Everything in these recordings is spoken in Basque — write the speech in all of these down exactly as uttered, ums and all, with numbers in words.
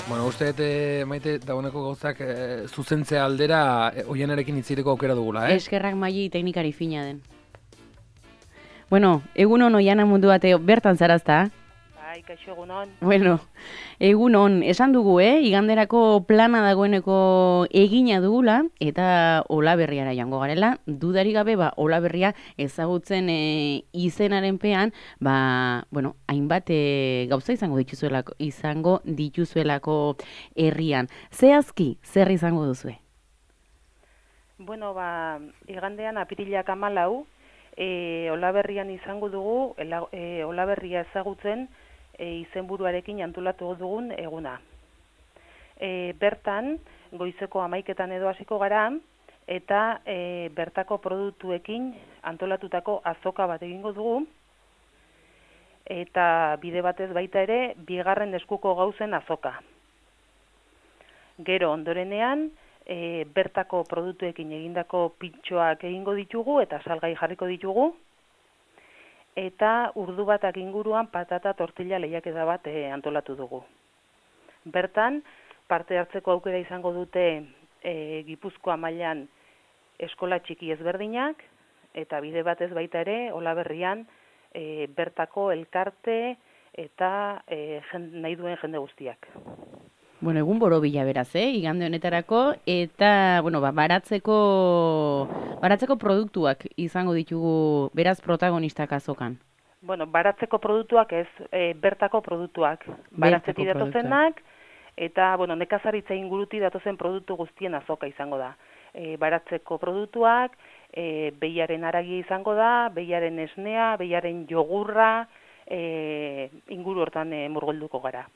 Bueno, uste dut, eh, Maite, dagoeneko gauzak eh, zuzentzea aldera eh, Oianarekin itziteko aukera dugula, eh? Eskerrak Maili teknikari fina den. Bueno, egunon Oiana mundu bateo, bertan zarazta? Bai, kaixo egunon. Bueno, egunon, esan dugu, eh? Iganderako plana dagoeneko egina dugula, eta Olaberriara joango garela. Dudarik gabe, ba, Olaberria ezagutzen e, izenaren pean, ba, bueno, hainbat e, gauza izango dituzuelako, izango dituzuelako herrian. Zehazki, zer izango duzue? Bueno, ba, igandean apirilak hamalau, e, Olaberrian izango dugu, ela, e, Olaberria ezagutzen e, izenburuarekin antolatu dugun eguna. E, bertan, goizeko hamaiketan edo hasiko gara, eta e, bertako produktuekin antolatutako azoka bat egingo dugu, eta bide batez baita ere, bigarren eskuko gauzen azoka. Gero ondorenean, E, bertako produktuekin egindako pintxoak egingo ditugu eta salgai jarriko ditugu, eta urdu batak inguruan patata tortilla lehiaketa bat e, antolatu dugu. Bertan, parte hartzeko aukera izango dute e, Gipuzkoa mailan eskola txiki ezberdinak, eta bide batez baita ere, Olaberrian e, bertako elkarte eta e, jende, nahi duen jende guztiak. Bueno, egun borobila beraz, eh, igande honetarako, eta, bueno, ba, baratzeko, baratzeko produktuak izango ditugu beraz protagonistak azokan. Bueno, baratzeko produktuak ez, e, bertako produktuak. Baratzetik datozenak, eta, bueno, nekazaritza inguruti datozen produktu guztien azoka izango da. E, baratzeko produktuak, e, behiaren haragia izango da, behiaren esnea, behiaren jogurra, e, inguru hortan e, murgolduko gara.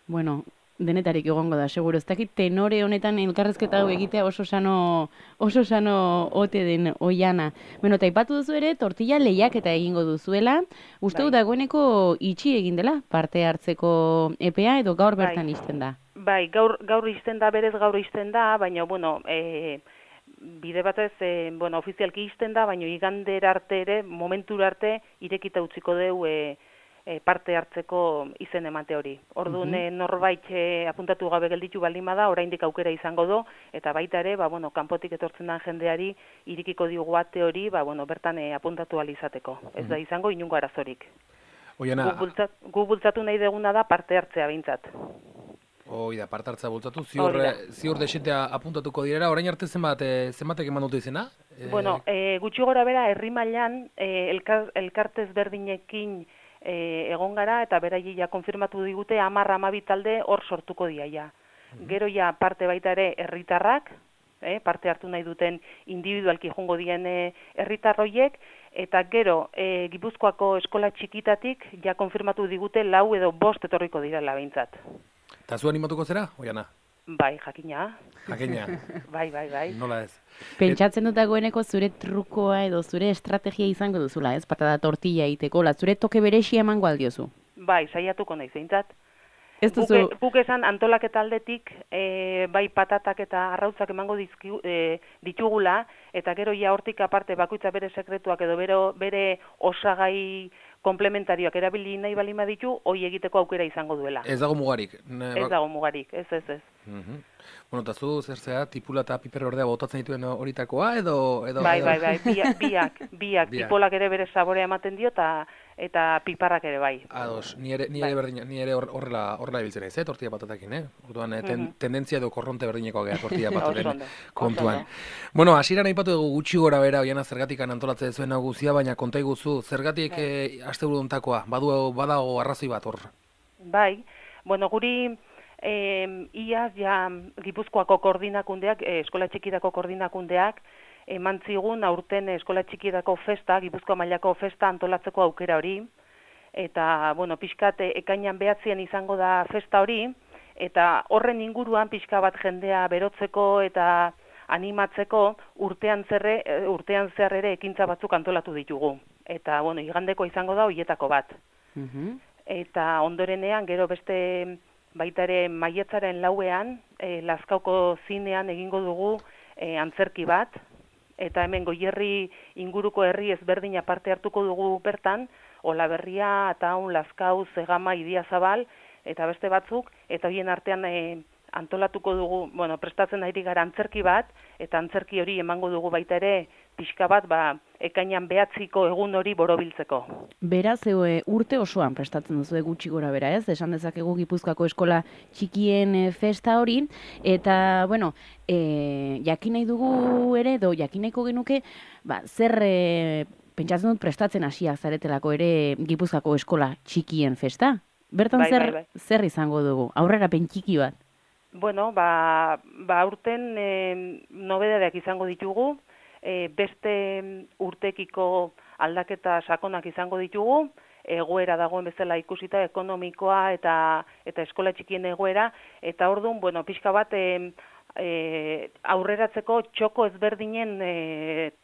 Bueno, denetarik egongo da, seguro. Ez dakit tenore honetan elkarrezketa hau egitea oso sano, oso sano ote den Oiana. Bueno, taipatu duzu ere, tortilla lehiaketa egingo duzuela. Uste dut dagoeneko itxi egin dela parte hartzeko epea edo gaur bertan izten da? Bai, gaur, gaur izten da, berez gaur izten da, baina, bueno, e, bide batez, e, bueno, ofizialki izten da, baina igander arte ere, momentura arte, irekita utziko deu, e, parte hartzeko izen emate hori. Orduan uh -huh. norbait e, apuntatu gabe gelditu baldin bada, oraindik aukera izango do, eta baita ere, ba, bueno, kanpotik etortzen den jendeari irikiko diogu ate hori, ba, bueno, bertan e, apuntatu ahal izateko. Uh -huh. Ez da izango inungo arazorik. Oiana, gu, bultzat, gu bultzatu nahi deguna da parte hartzea behintzat. Hoi da, parte hartzea bultzatu, ziur, ziur desetea apuntatuko direra, orain arte zenbat, e, zenbatek eman dute izena? E... Bueno, e, gutxi gora bera, herri mailan e, elkar, elkartez berdinekin E, egon gara, eta beraiei ja konfirmatu digute hamar hamabi talde hor sortuko dira ja. Mm-hmm. Gero ja parte baita ere herritarrak, eh, parte hartu nahi duten individualki jongo dien e, herritarroiek, eta gero e, Gipuzkoako eskola txikitatik ja konfirmatu digute lau edo bost etorriko direla behintzat. Eta zu animatuko zera, Oiana? Bai, jakina. Jakina. Bai, bai, bai. Nola ez? Pentsatzen dut dagoeneko zure trukoa edo zure estrategia izango duzula, ez? Patata tortilla egiteko, la zure toke berexia emango aldiozu. Bai, saiatuko nahi zeintzat. Ez duzu... Guk esan antolaketa aldetik, e, bai patatak eta arrautzak emango dizki, e, ditugula, eta gero ja hortik aparte bakoitza bere sekretuak edo bere, bere osagai komplementarioak erabili nahi balima ditu, hoi egiteko aukera izango duela. Ez dago mugarik. Ne, ez dago mugarik, ez, ez, ez. Uh -huh. Bueno, eta zu, zer zea, tipula eta piper ordea botatzen dituen horitakoa, edo... edo bai, edo... bai, bai, biak, biak, biak, tipolak ere bere saborea ematen dio, eta eta piparrak ere bai. Ados, ni ere, ni ere, bai. berdina, ni ere horrela horrela ibiltzen naiz, eh, tortilla patatakin, eh? Orduan, eh, ten, uh -huh. tendentzia edo korronte berdinekoa gea tortilla pataren kontuan. Bueno, hasieran aipatu dugu gutxi gora bera, Oiana zergatik antolatzen zuen hau guztia, baina konta iguzu, zergatik eh, asteburu hontakoa, badu badago arrazoi bat hor. Bai, bueno, guri eh, iaz ja Gipuzkoako koordinakundeak, eh, eskola txikidako koordinakundeak, eman zigun aurten eskola txikidako festa, Gipuzkoa mailako festa antolatzeko aukera hori, eta, bueno, pixkat ekainan behatzean izango da festa hori, eta horren inguruan pixka bat jendea berotzeko eta animatzeko urtean zerre, urtean zer ere ekintza batzuk antolatu ditugu. Eta, bueno, igandeko izango da hoietako bat. Uh-huh. Eta ondorenean, gero beste baita ere maiatzaren lauean, e, Lazkaoko zinean egingo dugu e, antzerki bat, eta hemen Goierri inguruko herri ezberdina parte hartuko dugu bertan, Olaberria, Ataun, Lazkau, Zegama, Idiazabal, eta beste batzuk, eta horien artean e, antolatuko dugu, bueno, prestatzen ari gara antzerki bat, eta antzerki hori emango dugu baita ere pixka bat, ba, ekainan behatziko egun hori borobiltzeko. Beraz, e, urte osoan prestatzen duzu gutxi gora bera, ez? Esan dezakegu Gipuzkoako eskola txikien e, festa hori, eta, bueno, e, jakin nahi dugu ere, do jakin nahiko genuke, ba, zer e, pentsatzen dut prestatzen hasiak zaretelako ere Gipuzkoako eskola txikien festa? Bertan bai, zer, bai, bai. zer izango dugu? Aurrerapen txiki bat? Bueno, ba, ba urten e, nobedadeak izango ditugu, e, beste urtekiko aldaketa sakonak izango ditugu, egoera dagoen bezala ikusita ekonomikoa eta eta eskola txikien egoera, eta orduan, bueno, pixka bat e, e, aurreratzeko txoko ezberdinen e,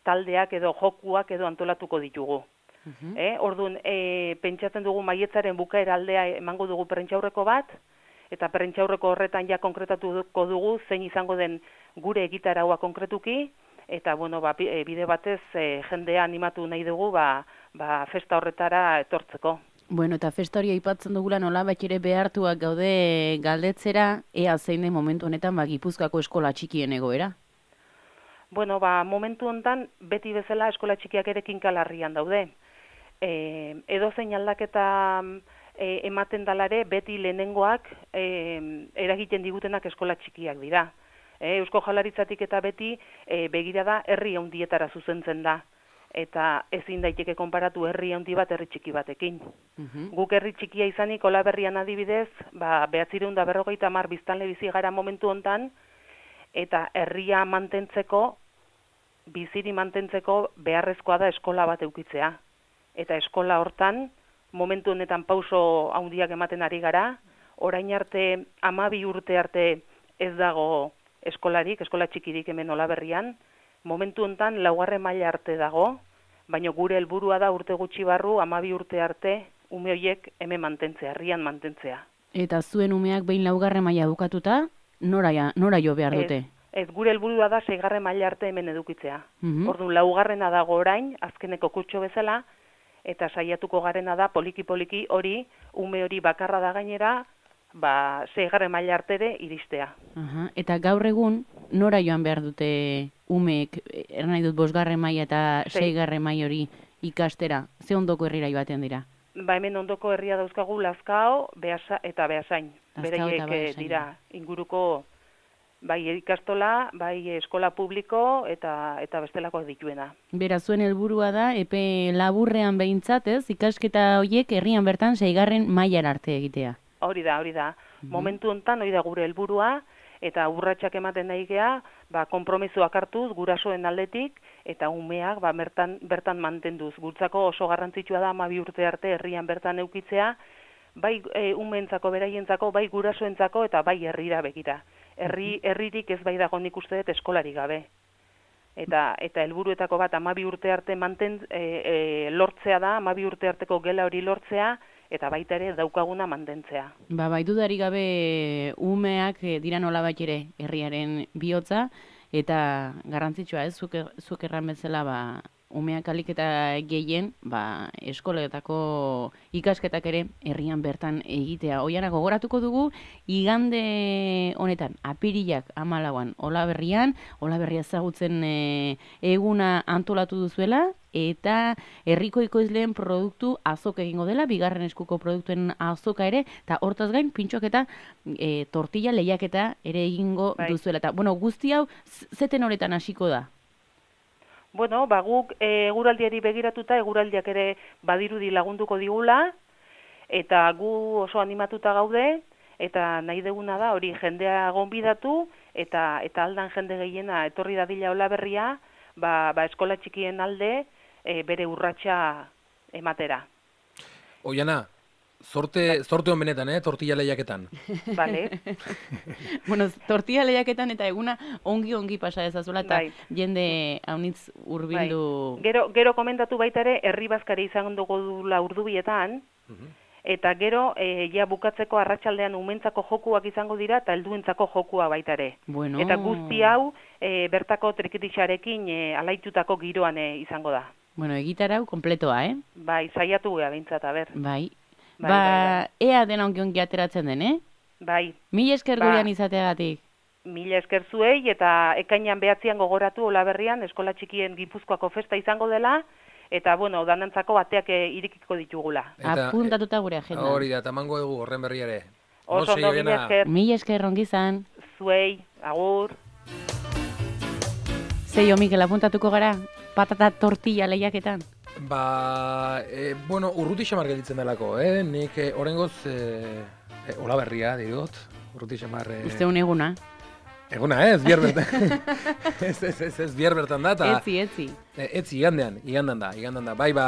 taldeak edo jokuak edo antolatuko ditugu. Uh-huh. E, orduan, e, pentsatzen dugu maietzaren bukaera aldea emango dugu prentxaurreko bat, eta prentxaurreko horretan ja konkretatuko dugu zein izango den gure egitaraua konkretuki, eta bueno, ba, bide batez e, jendea animatu nahi dugu ba, ba, festa horretara etortzeko. Bueno, eta festa hori aipatzen dugula nola bat ere behartuak gaude galdetzera, ea zein den momentu honetan ba, Gipuzkoako eskola txikien egoera? Bueno, ba, momentu honetan beti bezala eskola txikiak ere kinkalarrian daude. E, edo zein aldaketa E, ematen dalare beti lehenengoak e, eragiten digutenak eskola txikiak dira. E, Eusko Jaurlaritzatik eta beti e, begira da herri handietara zuzentzen da. Eta ezin daiteke konparatu herri handi bat herri txiki batekin. Uh-huh. Guk herri txikia izanik Olaberrian adibidez, ba, behatzireun da berrogeita hamar biztanle bizi gara momentu hontan, eta herria mantentzeko, biziri mantentzeko beharrezkoa da eskola bat eukitzea. Eta eskola hortan, momentu honetan pauso handiak ematen ari gara, orain arte, hamabi urte arte ez dago eskolarik, eskola txikirik hemen Olaberrian, momentu honetan laugarren maila arte dago, baina gure helburua da urte gutxi barru, hamabi urte arte, ume horiek hemen mantentzea, herrian mantentzea. Eta zuen umeak behin laugarren maila bukatuta, nora, nora jo behar dute? Ez, ez gure helburua da seigarren maila arte hemen edukitzea. Uh-huh. Orduan laugarrena dago orain, azkeneko kutxo bezala, eta saiatuko garena da poliki-poliki hori, ume hori bakarra da gainera, ba, seigarren maila artere iristea. Aha, eta gaur egun, nora joan behar dute umeek, er nahi dut bosgarren maila eta seigarren maila hori ikastera, ze ondoko herrira joaten dira? Ba, hemen ondoko herria dauzkagu Lazkao Beasa, eta Beasain. Beraiek dira inguruko bai ikastola, bai eskola publiko eta eta bestelakoak dituena. Bera, zuen helburua da, epe laburrean behintzat, ez, ikasketa horiek herrian bertan seigarren mailara arte egitea. Hori da, hori da. Uh-huh. Momentu honetan hori da gure helburua, eta urratsak ematen nahi gea, ba, konpromisoak hartuz gurasoen aldetik, eta umeak ba, bertan, bertan mantenduz. Gutzako oso garrantzitsua da hamabi urte arte herrian bertan eukitzea, bai e, umeentzako, beraientzako, bai gurasoentzako eta bai herrira begira. Herri, herririk ez bai dago nik uste dut eskolari gabe. Eta eta helburuetako bat hamabi urte arte manten, e, e, lortzea da, hamabi urte arteko gela hori lortzea, eta baita ere daukaguna mantentzea. Ba, bai dudari gabe umeak e, dira nolabait ere herriaren bihotza, eta garrantzitsua ez, zuk, zuk erran bezala, ba, umeak alik eta gehien, ba, eskoletako ikasketak ere herrian bertan egitea. Oiana, gogoratuko dugu, igande honetan, apirilak hamalauan Olaberrian, Olaberria ezagutzen e, eguna antolatu duzuela, eta herriko ekoizleen produktu azoka egingo dela, bigarren eskuko produktuen azoka ere, eta hortaz gain, pintxok eta e, tortilla lehiaketa ere egingo bai. Duzuela. Eta, bueno, guzti hau, zeten honetan hasiko da? Bueno, ba, guk eguraldiari begiratuta, eguraldiak ere badirudi lagunduko digula, eta gu oso animatuta gaude, eta nahi deguna da hori jendea gonbidatu, eta eta aldan jende gehiena etorri dadila Olaberria, ba, ba eskola txikien alde e, bere urratsa ematera. Oiana, Zorte, zorte hon benetan, eh? Tortilla lehiaketan. Vale. Bueno, tortilla lehiaketan eta eguna ongi-ongi pasa dezazuela eta bai. Jende haunitz hurbildu. Bai. Gero, gero komentatu baita ere, herri bazkari izan dugu dula urdubietan, uh-huh. Eta gero, e, ja bukatzeko arratsaldean umentzako jokuak izango dira eta helduentzako jokua baita ere. Bueno. Eta guzti hau, e, bertako trikitixarekin e, alaitutako giroan e, izango da. Bueno, egitarau kompletoa, eh? Bai, saiatu gea bintzat, a ber. Bai. Bai, ba, bai, bai. ea dena onki ateratzen den, eh? Bai. Mil esker Ba, gurean izateagatik. Mila esker zuei, eta ekainan behatzian gogoratu Olaberrian eskola txikien Gipuzkoako festa izango dela, eta, bueno, danantzako bateak irikiko ditugula. Eta, apuntatuta gure agenda. Hori da, eta mango egu horren berri ere. Oso ondo, mila esker. Mila esker ongizan. Zuei, agur. Zeio, Mikel, apuntatuko gara? Patata tortilla lehiaketan? Ba, e, bueno, urruti xamar gelditzen delako, eh? Nik e, orengoz, e, e, Olaberria, dirot, urruti xamar... E, Uste un eguna. Eguna, ez, bihar bertan. ez, ez, ez, ez, bihar bertan da, eta... Etzi, etzi. E, etzi, igandean, igandan da, igandan da. Bai, ba,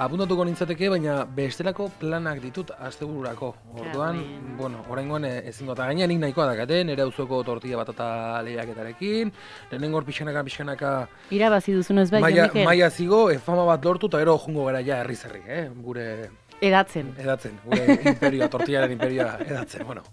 apuntatuko nintzateke, baina bestelako planak ditut astebururako. Orduan, Amen. bueno, oraingoan ezingo, eta gainean nik nahikoa dakate, nire auzoko tortilla batata lehiaketarekin, lehenengo hor pixkanaka, pixkanaka... Irabazi duzunez bai, maia, Mikel? maia zigo, e, fama bat lortu, eta gero jungo gara ja herri zerri, eh? Gure... Edatzen. Edatzen, gure imperioa, tortillaren imperioa edatzen, bueno.